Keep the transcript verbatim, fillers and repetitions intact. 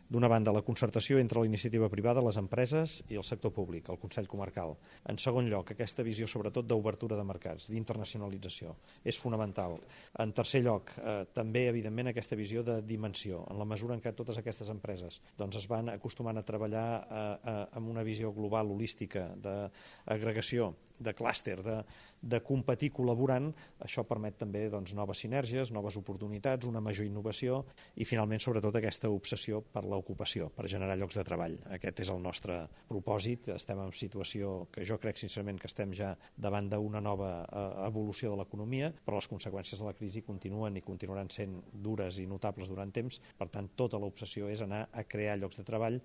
d'una banda, la concertació entre la iniciativa privada, les empreses i el sector públic, el Consell Comarcal. En segon lloc, aquesta visió sobretot d'obertura de mercats, d'internacionalització, és fonamental. En tercer lloc, eh, també, evidentment, aquesta visió de dimensió, en la mesura en què totes aquestes empreses doncs, es van acostumant a treballar eh, eh, amb una visió global, holística, d'agregació, de clúster, de, de competir col·laborant, això permet també doncs, noves sinergies, noves oportunitats, una major innovació i finalment sobretot aquesta obsessió per l'ocupació, per generar llocs de treball. Aquest és el nostre propòsit. Estem en situació que jo crec sincerament que estem ja davant d'una nova eh, evolució de l'economia, però les conseqüències de la crisi continuen i continuaran sent dures i notables durant temps. Per tant, tota l'obsessió és anar a crear llocs de treball